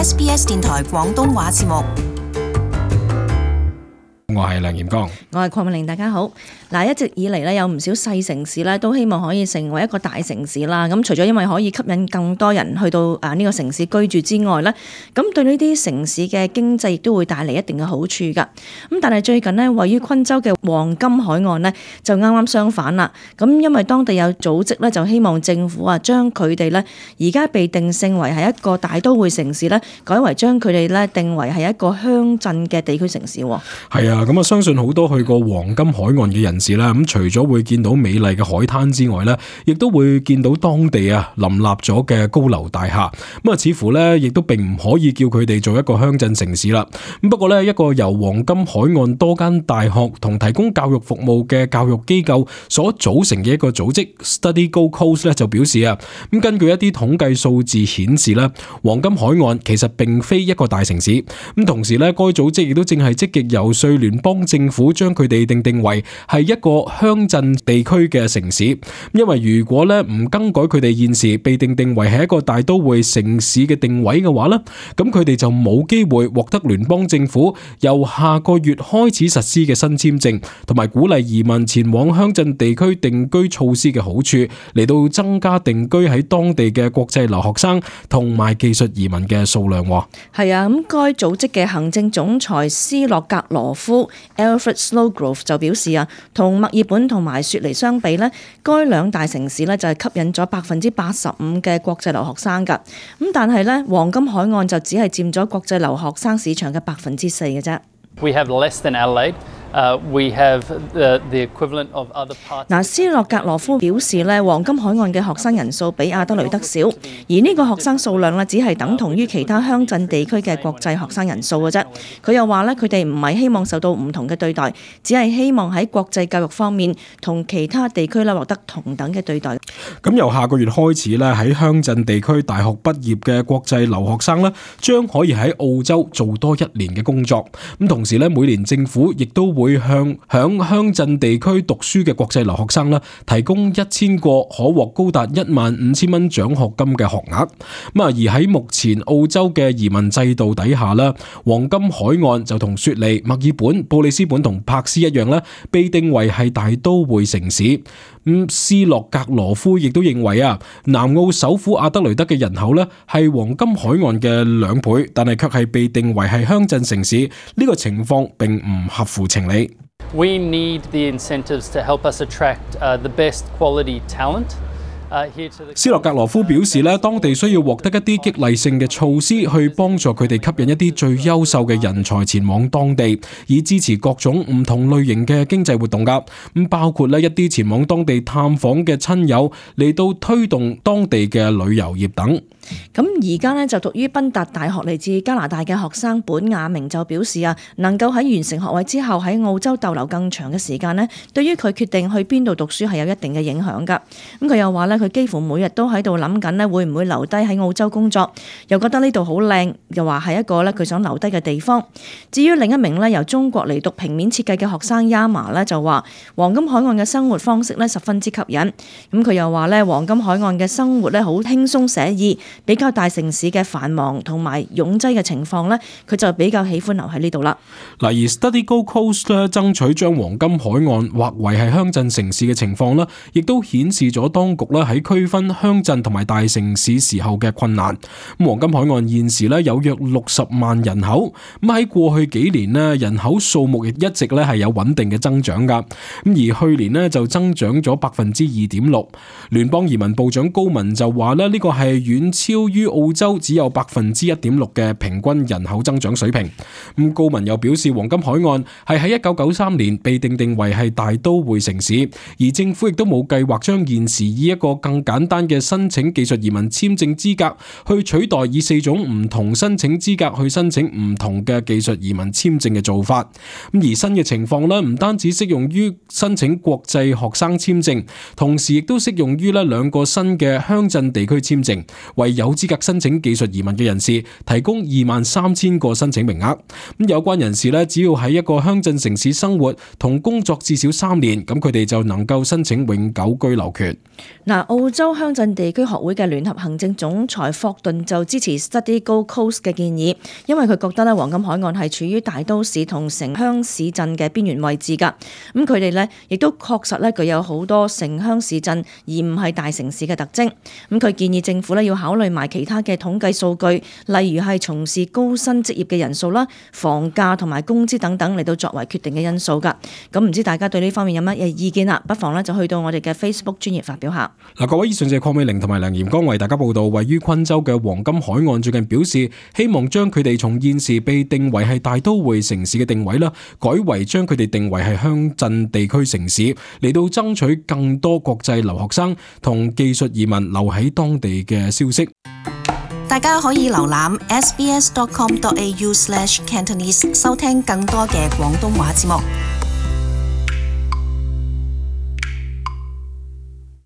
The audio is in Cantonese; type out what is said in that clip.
SBS 電台廣東話節目。我係梁炎光，我係鄺美玲，大家好。嗱，一直以嚟咧，有唔少細城市咧，都希望可以成為一個大城市啦。咁除咗因為可以吸引更多人去到呢個城市居住之外咧，咁對呢啲城市嘅經濟亦都會帶嚟一定嘅好處㗎。咁但係最近呢，位於昆州嘅黃金海岸呢，就啱啱相反啦。咁因為當地有組織咧，就希望政府將佢哋咧而家被定性為係一個大都會城市咧，改為將佢哋咧定為係一個鄉鎮嘅地區城市。係啊。咁相信好多去過黃金海岸嘅人士啦，咁除咗會見到美麗嘅海灘之外咧，亦都會見到當地林立咗嘅高樓大廈。咁似乎咧，亦都並唔可以叫佢哋做一個鄉鎮城市啦。咁不過咧，一個由黃金海岸多間大學同提供教育服務嘅教育機構所組成嘅一個組織 Study Gold Coast 咧就表示咁根據一啲統計數字顯示咧，黃金海岸其實並非一個大城市。咁同時咧，該組織亦都正係積極遊說聯邦政府將佢哋定為係一個鄉鎮地區嘅城市，因為如果咧唔更改佢哋現時被定為係一個大都會城市嘅定位嘅話咧，咁佢哋就冇機會獲得聯邦政府由下個月開始實施嘅新簽證同埋鼓勵移民前往鄉鎮地區定居措施嘅好處，嚟到增加定居喺當地嘅國際留學生同埋技術移民嘅數量。係啊，咁該組織嘅行政總裁斯洛格羅夫 Alfred Snowgrove 就表示同墨爾本同埋雪梨相比呢，該兩大城市呢就係吸引咗85%嘅國際留學生㗎。咁但係呢，黃金海岸就只係佔咗國際留學生市場嘅4%嘅啫。We have less than Adelaide. We have the equivalent of other parts. 斯洛格羅夫表示咧，黃金海岸嘅學生人數比亞德雷德少，而呢個學生數量咧只係等同於其他鄉鎮地區嘅國際學生人數嘅啫。佢又話咧，佢哋唔係希望受到唔同嘅對待，只係希望喺國際教育方面同其他地區咧獲得同等嘅對待。咁由下個月開始咧，喺鄉鎮地區大學畢業嘅國際留學生咧，將可以喺澳洲做多1年嘅工作。咁同時咧，每年政府亦都會向響鄉鎮地區讀書嘅國際留學生啦，提供1000個可獲高達15000蚊獎學金嘅學額。而喺目前澳洲嘅移民制度底下啦，黃金海岸就同雪梨、墨爾本、布里斯本同珀斯一樣啦，被定為係大都會城市。斯洛格羅夫亦都認為南澳首府阿德雷德嘅人口咧係黃金海岸嘅2倍，但係卻係被定為係鄉鎮城市。呢個情況並唔合乎情理。We need the incentives to help us attract the best quality talent. 斯洛格羅夫表示咧，當地需要獲得一啲激勵性嘅措施，去幫助佢哋吸引一啲最優秀嘅人才前往當地，以支持各種唔同類型嘅經濟活動噶。包括一啲前往當地探訪嘅親友，嚟到推動當地嘅旅遊業等。咁而家呢，就讀於賓達大學嚟自加拿大嘅學生本雅明就表示能夠喺完成學位之後喺澳洲逗留更長嘅時間呢，對於佢決定去邊度讀書係有一定嘅影響噶。咁佢又話呢，佢幾乎每日都喺度諗緊呢，會唔會留低喺澳洲工作，又覺得呢度好靚，又話係一個呢佢想留低嘅地方。至於另一名呢由中國嚟讀平面設計嘅學生 Yama 呢，就話黃金海岸嘅生活方式呢十分之吸引。咁佢又話呢，黃金海岸嘅生活呢好輕鬆寫意，比較大城市嘅繁忙同埋擁擠嘅情況呢，佢就比較喜歡留喺呢度啦。而 Study Gold Coast 咧爭取將黃金海岸劃為係鄉鎮城市嘅情況呢，亦都顯示咗當局咧喺區分鄉鎮同埋大城市時候嘅困難。黃金海岸現時咧有約60萬人口，喺過去幾年咧人口數目亦一直咧係有穩定嘅增長噶。而去年咧就增長咗2.6%。聯邦移民部長高文就話咧呢個係遠超於澳洲只有1.6%嘅平均人口增長水平。高文又表示，黃金海岸係喺1993年被定為係大都會城市，而政府亦都冇計劃將現時以一個更簡單嘅申請技術移民簽證資格去取代以4種唔同申請資格去申請唔同嘅技術移民簽證嘅做法。而新嘅情況呢，唔單止適用於申請國際學生簽證，同時亦都適用於2個新嘅鄉鎮地區簽證，為為有資格申請技術移民嘅人士提供23,000個申請名額。咁有關人士咧，只要喺一個鄉鎮城市生活同工作至少3年，咁佢哋就能夠申請永久居留權。澳洲鄉鎮地區學會嘅聯合行政總裁霍頓就支持 Study Gold Coast 嘅建議，因為佢覺得咧黃金海岸係處於大都市同城鄉市鎮嘅邊緣位置㗎。咁佢哋咧亦都確實咧具有好多城鄉市鎮而唔係大城市嘅特徵。咁佢建議政府咧要考慮埋其他嘅統計數據，例如係從事高薪職業嘅人數啦、房價同埋工資等等嚟到作為決定嘅因素㗎。咁唔知大家對呢方面有乜嘢意見啦？不妨咧就去到我哋嘅 Facebook 專頁發表下。各位，以上就係鄺美玲同埋梁炎光為大家報道，位於昆州嘅黃金海岸最近表示，希望將佢哋從現時被定為係大都會城市嘅定位啦，改為將佢哋定為係鄉鎮地區城市，嚟到爭取更多國際留學生同技術移民留喺當地嘅消息。大家可以瀏覽 sbs.com.au/Cantonese 收聽更多嘅廣東話節目。